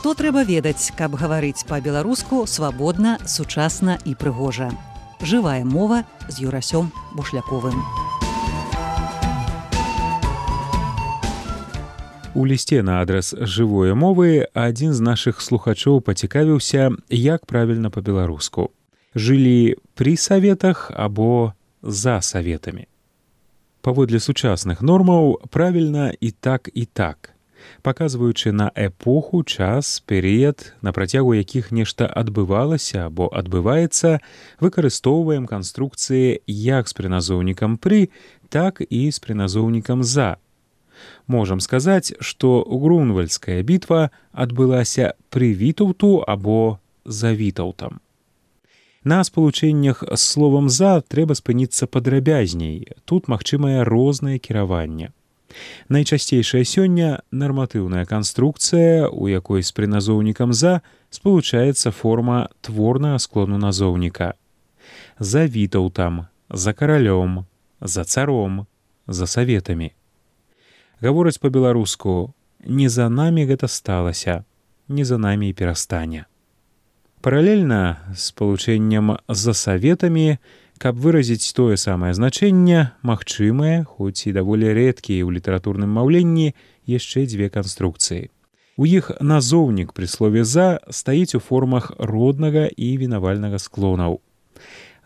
Што трэба ведаць, каб гаварыць па-беларуску свабодна, сучасна і прыгожа. Жывая мова з Юрасём Бушляковым. У лісце на адрас жывой мовы адзін з нашых слухачоў пацікавіўся, як правільна па-беларуску. Жылі пры саветах або за саветамі. Паводле сучасных нормаў правільна і так, паказваючы на эпоху, час, перыяд, на працягу якіх нешта адбывалася або адбываецца, выкарыстоўваем канструкцыі як з прыназоўнікам «пры», так і з прыназоўнікам «за». Можам сказаць, што Грунвальдская бітва адбылася пры Вітаўту або за Вітаўтам. На спалучэннях з словам «за» трэба спыніцца падрабязней, тут магчымае рознае кіраванне. Найчасцейшая сёння нарматыўная канструкцыя, у якой з прыназоўнікам «за» спалучаецца форма творнага склону назоўніка. За Вітаўтам, за каралём, за царом, за саветамі. Гавораць па-беларуску «не за намі гэта сталася, не за намі і перастане». Паралельна з спалучэннем «за саветамі», каб выразіць тое самае значэнне, магчымыя, хоць і даволі рэдкія ў літаратурным маўленні, яшчэ дзве канструкцыі. У іх назоўнік пры слове «за» стаіць у формах роднага і вінавальнага склонаў.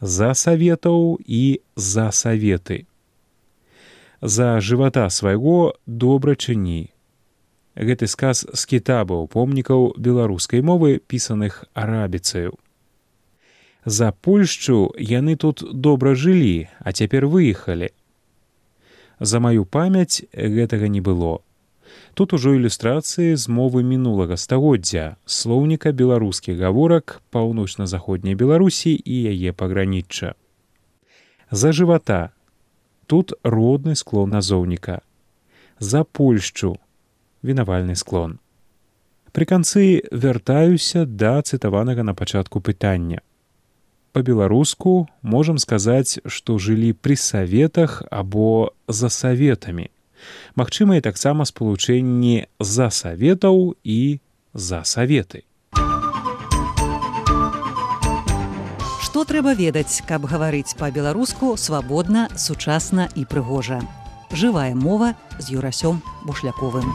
За саветаў і за саветы. За жывата свайго добра чыні. Гэты сказ з кітабаў помнікаў беларускай мовы, пісаных арабіцаю. За Польшчу яны тут добра жылі, а цяпер выехалі. За маю памяць гэтага не было. Тут ужо ілюстрацыі з мовы мінулага стагоддзя, слоўніка беларускіх гаворак паўночна-заходняй Беларусі і яе пагранічча. За жывата. Тут родны склон назоўніка. За Польшчу. Вінавальны склон. Пры канцы вяртаюся да цытаванага на пачатку пытання. Па-беларуску можам сказаць, што жылі пры саветах або за саветамі. Магчымыя таксама спалучэнні за саветаў і за саветы. Што трэба ведаць, каб гаварыць па-беларуску свабодна, сучасна і прыгожа. Жывая мова з Юрасём Бушляковым.